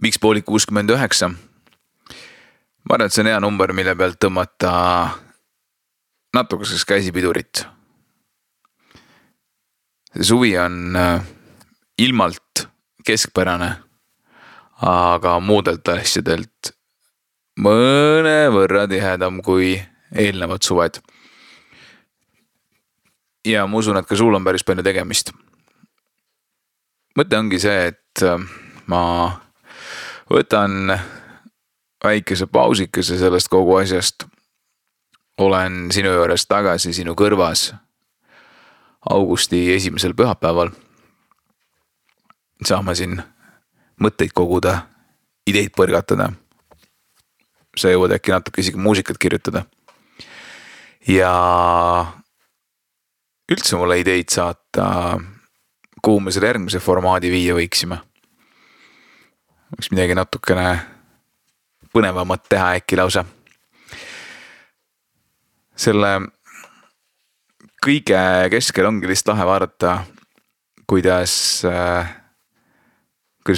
miks poolid 69? Ma arvan, et see on hea number, mille pealt tõmmata natukeseks käsipidurit. See suvi on ilmalt keskpärane, aga muudelt asjadelt mõne võrra tihedam kui eelnevad suved. Ja ma usun, et ka sul on päris palju tegemist. Mõte ongi see, et ma võtan väikese pausikese sellest kogu asjast. Olen sinu juures tagasi sinu kõrvas augusti 1. pühapäeval. Saame siin mõtteid koguda, ideid põrgatada. Sa jõuad äkki natuke isegi muusikat kirjutada. Ja üldse mulle ideid saata, kuhu me selle järgmise formaadi viia võiksime. Võiks midagi natukene põnevamat teha äkki lausa. Selle kõige keskel ongi lihtsalt lahe vaadata, kuidas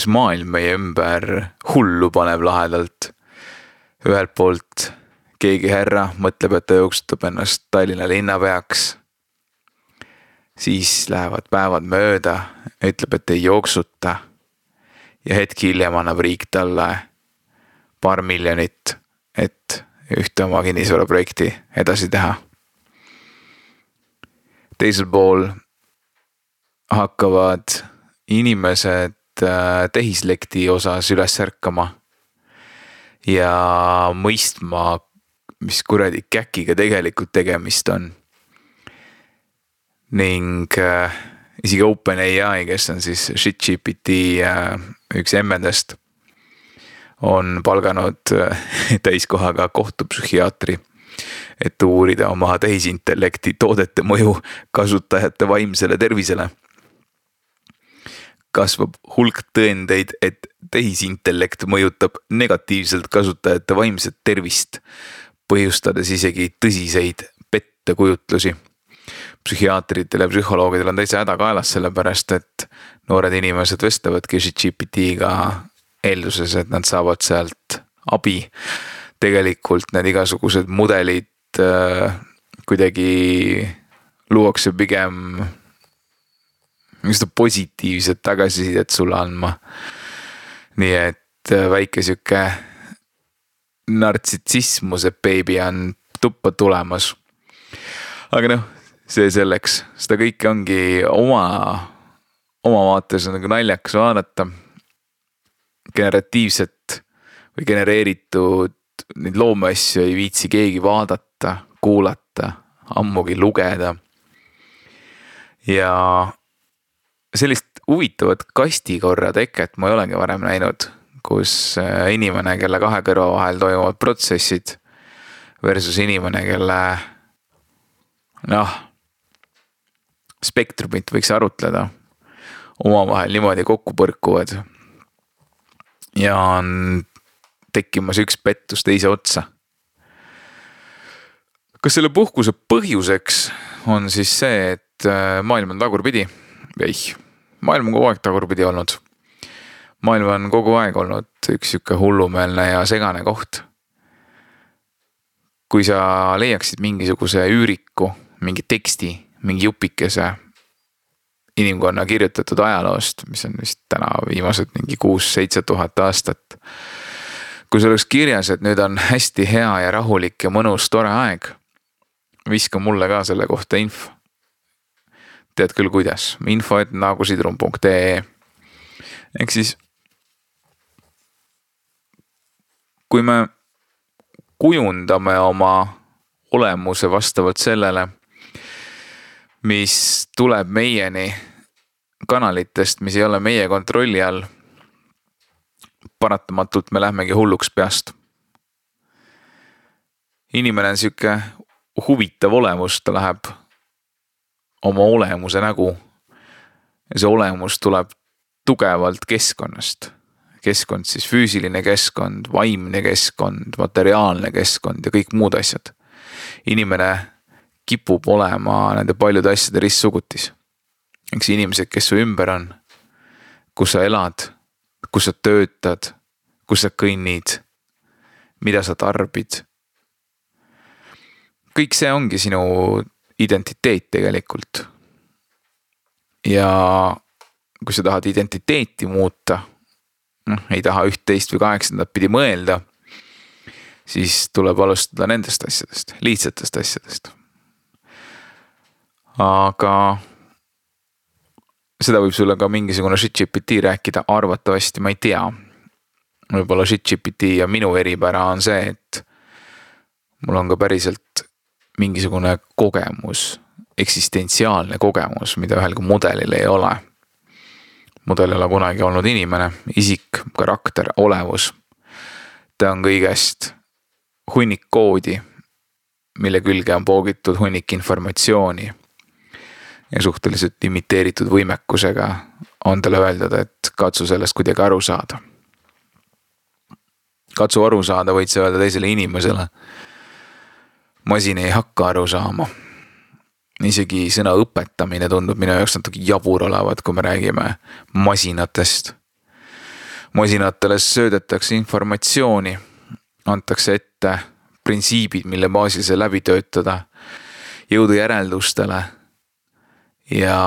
maailm meie ümber hullu paneb lahedalt. Ühelt poolt keegi härra mõtleb, et ta jooksutab ennast Tallinna linnapeaks. Siis lähevad päevad mööda, ütleb, et ei jooksuta. Ja hetk hiljem annab riik talle paar miljonit, et ühte oma kinnisvara projekti edasi teha. Teisel pool hakkavad inimesed tehislekti osas üles ärkama ja mõistma, mis kuradi käkiga tegelikult tegemist on. Ning isegi OpenAI, kes on siis ShitGPT üks emmedest, on palganud täiskohaga kohtupsühhiaatri, et uurida oma tehisintellekti toodete mõju kasutajate vaimsele tervisele. Kasvab hulk tõendeid, et tehisintellekt mõjutab negatiivselt kasutajate vaimset tervist, põhjustades isegi tõsiseid pettekujutlusi. Psühhiaatritel ja psühholoogidel on täitsa häda kaelas sellepärast, et noored inimesed vestlevadki ShitGPT-ga eelduses, et nad saavad sealt abi. Tegelikult need igasugused mudelid kuidagi luuakse pigem positiivset tagasisidet sulle andma. Nii et väike süke nartsitsismuse beebi on tuppa tulemas. Aga see selleks. Seda kõike ongi oma vaates on nagu naljakas vaadata. Generatiivset või genereeritud neid loomeasju ei viitsi keegi vaadata, kuulata, ammugi lugeda. Ja sellist huvitavat kastikorra teket ma ei olegi varem näinud, kus inimene, kelle kahe kõrva vahel toimuvad protsessid versus inimene, kelle spektrumit võiks arutleda, omavahel niimoodi kokku põrkuvad ja on tekkimas üks pettus teise otsa. Kas selle puhkuse põhjuseks on siis see, et maailm on tagurpidi? Ei, maailm on kogu aeg tagurpidi olnud. Maailm on kogu aeg olnud üks siuke hullumeelne ja segane koht. Kui sa leiaksid mingisuguse üüriku, mingi teksti, mingi jupikese inimkonna kirjutatud ajaloost, mis on vist täna viimased mingi 6-7 tuhat aastat. Kui see oleks kirjas, et nüüd on hästi hea ja rahulik ja mõnus tore aeg, viska mulle ka selle kohta info. Tead küll kuidas, info@nagusidrum.ee. Ehk siis, kui me kujundame oma olemuse vastavalt sellele, mis tuleb meieni kanalitest, mis ei ole meie kontrolli all, paratamatult me lähmegi hulluks peast. Inimene on siuke huvitav olemus, ta läheb oma olemuse nägu ja see olemus tuleb tugevalt keskkonnast. Keskkond siis füüsiline keskkond, vaimne keskkond, materiaalne keskkond ja kõik muud asjad. Inimene kipub olema nende paljude asjade ristsugutis. Eks inimesed, kes su ümber on, kus sa elad, kus sa töötad, kus sa kõnnid, mida sa tarbid. Kõik see ongi sinu identiteet tegelikult. Ja kui sa tahad identiteeti muuta, ei taha 11 või 8 pidi mõelda, siis tuleb alustada nendest asjadest, lihtsatest asjadest. Aga seda võib sulle ka mingisugune ChatGPT rääkida, arvatavasti, ma ei tea. Võib-olla ChatGPT ja minu eripära on see, et mul on ka päriselt mingisugune kogemus, eksistentsiaalne kogemus, mida ühel kui mudelil ei ole. Mudel ei ole kunagi olnud inimene, isik, karakter, olevus. Ta on kõigest hunnik koodi, mille külge on poogitud hunnik informatsiooni ja suhteliselt limiteeritud võimekusega on talle öeldud, et katsu sellest kuidagi aru saada. Katsu aru saada, võid sa öelda teisele inimesele. Masin ei hakka aru saama. Isegi sõna õpetamine tundub minu jaoks natuke jabur olevat, kui me räägime masinatest. Masinatele söödetakse informatsiooni, antakse ette printsiibid, mille baasil see läbi töötada, jõuda järeldustele ja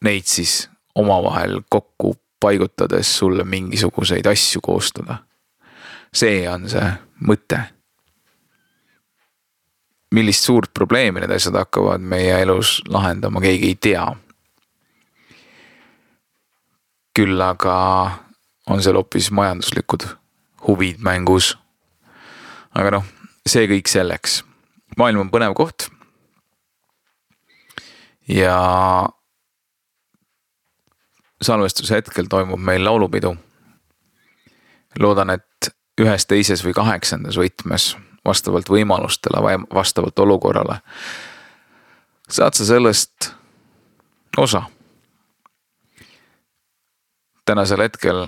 neid siis omavahel kokku paigutades sulle mingisuguseid asju koostada. See on see mõte. Millist suurt probleemi need asjad hakkavad meie elus lahendama, keegi ei tea. Küll aga on seal hoopis majanduslikud huvid mängus. Aga see kõik selleks. Maailm on põnev koht. Ja salvestuse hetkel toimub meil laulupidu. Loodan, et 1., 2. või 8. võtmes vastavalt võimalustele, vastavalt olukorrale saad sa sellest osa. Tänasel hetkel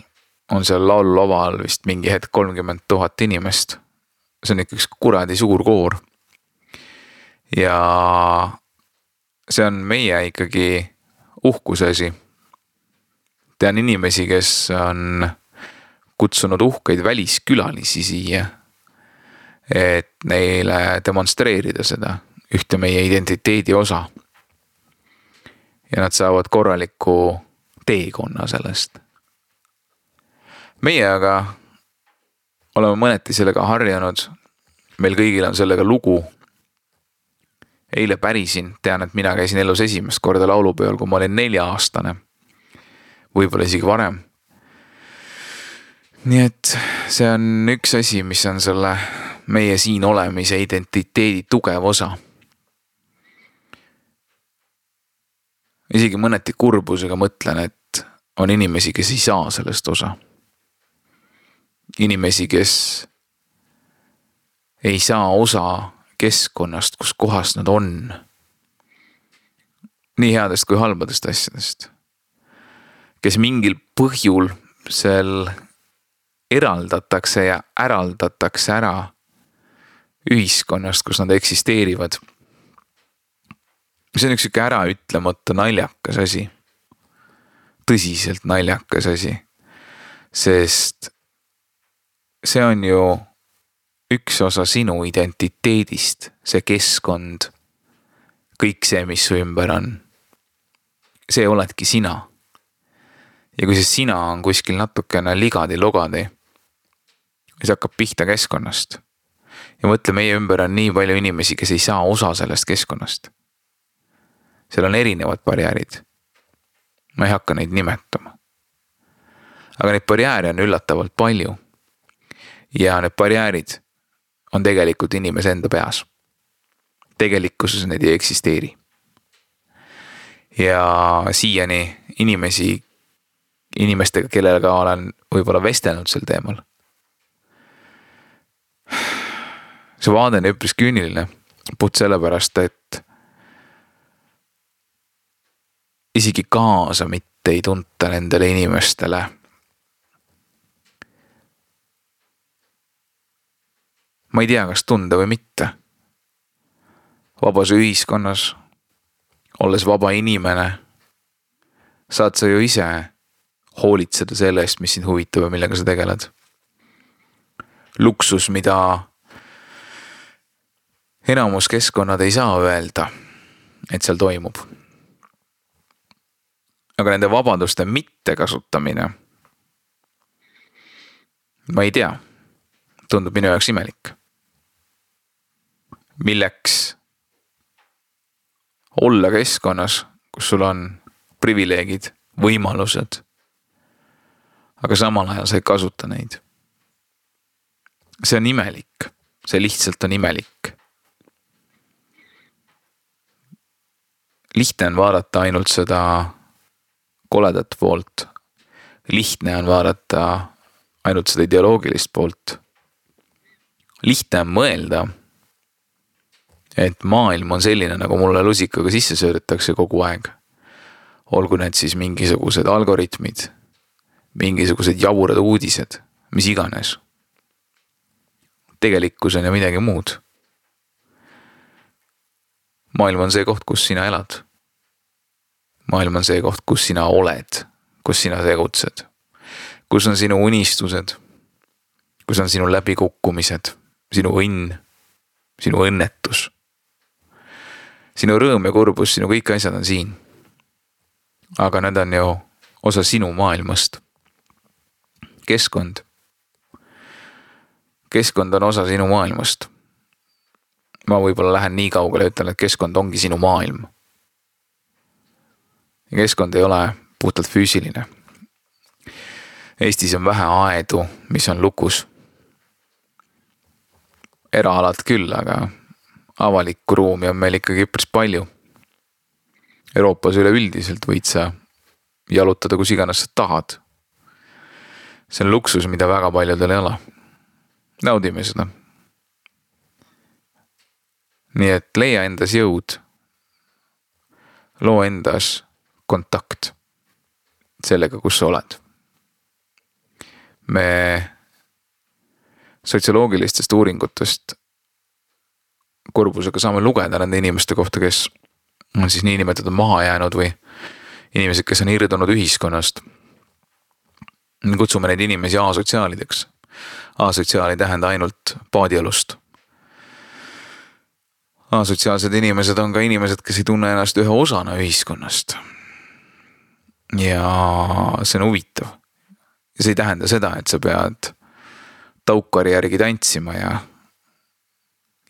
on seal laululaval vist mingi hetk 30 000 inimest. See on ikka üks kuradi suur koor. Ja see on meie ikkagi uhkusesi. Tean inimesi, kes on kutsunud uhkeid väliskülalisi siia, et neile demonstreerida seda ühte meie identiteedi osa. Ja nad saavad korraliku teekonna sellest. Meie aga oleme mõneti sellega harjanud. Meil kõigil on sellega lugu. Eile pärisin, tean, et mina käisin elus esimest korda laulupeol, kui ma olin 4-aastane. Võib-olla isegi varem. Nii et see on üks asi, mis on selle meie siin olemise identiteedi tugev osa. Isegi mõneti kurbusega mõtlen, et on inimesi, kes ei saa sellest osa. Inimesi, kes ei saa osa keskkonnast, kus kohas nad on. Nii headest kui halbadest asjadest. Kes mingil põhjul seal eraldatakse ja äraldatakse ära ühiskonnast, kus nad eksisteerivad. See on üks ära ütlemata naljakas asi. Tõsiselt naljakas asi. Sest see on ju üks osa sinu identiteedist, see keskkond, kõik see, mis su ümber on. See oledki sina. Ja kui see sina on kuskil natukene ligadi-logadi, siis hakkab pihta keskkonnast. Ja mõtle, meie ümber on nii palju inimesi, kes ei saa osa sellest keskkonnast. Seal on erinevad barjäärid. Ma ei hakka neid nimetama. Aga neid barjääre on üllatavalt palju. Ja need barjäärid on tegelikult inimese enda peas. Tegelikkuses need ei eksisteeri. Ja siiani inimestega, kellega olen võib-olla vestelnud sel teemal. See vaade on üpris küüniline, puht sellepärast, et isegi kaasa mitte ei tunta nendele inimestele. Ma ei tea, kas tunda või mitte. Vabas ühiskonnas, olles vaba inimene, saad sa ju ise hoolitseda selle eest, mis sind huvitab ja millega sa tegeled. luksus, mida enamus keskkonnad ei saa öelda, et seal toimub. Aga nende vabaduste mittekasutamine, ma ei tea, tundub minu jaoks imelik. Milleks olla keskkonnas, kus sul on privileegid, võimalused, aga samal ajal sa ei kasuta neid. See on imelik, see lihtsalt on imelik. Lihtne on vaadata ainult seda koledat poolt. Lihtne on vaadata ainult seda ideoloogilist poolt. Lihtne on mõelda, et maailm on selline, nagu mulle lusikaga sisse söödetakse kogu aeg. Olgu need siis mingisugused algoritmid, mingisugused jaburad uudised, mis iganes. Tegelikkus on ju midagi muud. Maailm on see koht, kus sina elad. Maailm on see koht, kus sina oled, kus sina tegutsed. Kus on sinu unistused, kus on sinu läbikukkumised, sinu õnn, sinu õnnetus. Sinu rõõm ja kurbus, sinu kõik asjad on siin. Aga need on ju osa sinu maailmast. Keskkond. Keskkond on osa sinu maailmast. Ma võib-olla lähen nii kaugele ja ütlen, et keskkond ongi sinu maailm. Ja keskkond ei ole puhtalt füüsiline. Eestis on vähe aedu, mis on lukus. Eraalad küll, aga avalikku ruumi on meil ikkagi üpris palju. Euroopas üleüldiselt võid sa jalutada, kus iganes sa tahad. See on luksus, mida väga paljudel ei ole. Naudime seda. Nii et leia endas jõud. Loo endas kontakt sellega, kus sa oled. Me sotsioloogilistest uuringutest kurbusega saame lugeda nende inimeste kohta, kes on siis niinimetatud maha jäänud või inimesed, kes on irdunud ühiskonnast. Me kutsume neid inimesi asotsiaalideks. Asotsiaal ei tähenda ainult paadielust. Asotsiaalsed inimesed on ka inimesed, kes ei tunne ennast ühe osana ühiskonnast. Ja see on huvitav. Ja see ei tähenda seda, et sa pead taukari järgi tantsima ja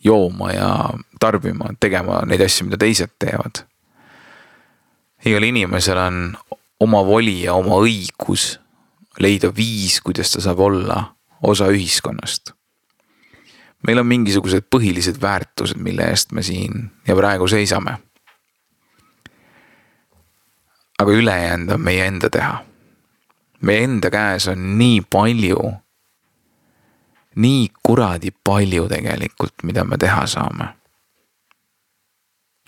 jooma ja tarbima, tegema neid asju, mida teised teevad. Igal inimesel on oma voli ja oma õigus leida viis, kuidas ta saab olla osa ühiskonnast. Meil on mingisugused põhilised väärtused, mille eest me siin ja praegu seisame. Aga ülejäänud on meie enda teha. Meie enda käes on nii palju, nii kuradi palju tegelikult, mida me teha saame.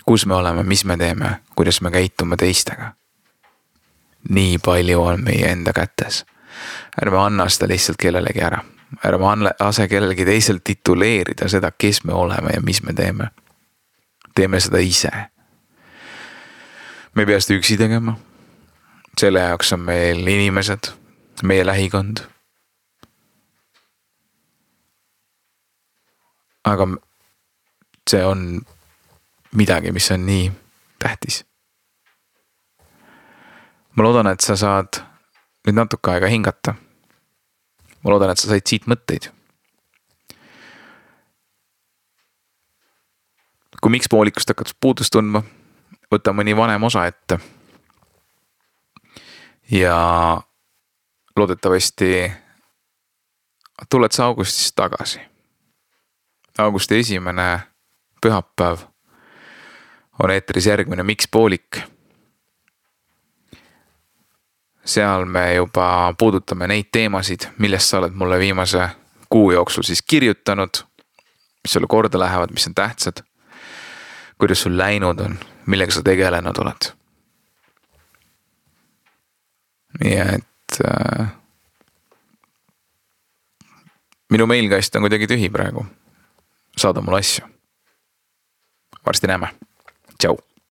Kus me oleme, mis me teeme, kuidas me käitume teistega. Nii palju on meie enda kätes. Ärme anna seda lihtsalt kellelegi ära. Ärme ase kellelegi teisel tituleerida seda, kes me oleme ja mis me teeme. Teeme seda ise. Me ei pea seda üksi tegema. Selle jaoks on meil inimesed, meie lähikond. Aga see on midagi, mis on nii tähtis. Ma loodan, et sa saad nüüd natuke aega hingata. Ma loodan, et sa said siit mõtteid. Kui miks poolikust hakkad puudust tundma, võta mõni vanem osa ette. Ja loodetavasti tuled sa augustis tagasi. Augusti 1. pühapäev on eetris järgmine Miks poolik. Seal me juba puudutame neid teemasid, millest sa oled mulle viimase kuu jooksul siis kirjutanud, mis sulle korda lähevad, mis on tähtsad, kuidas sul läinud on, millega sa tegelenud oled. Nii et minu mailkast on kuidagi tühi praegu. Saada mulle asju. Varsti näeme. Tšau.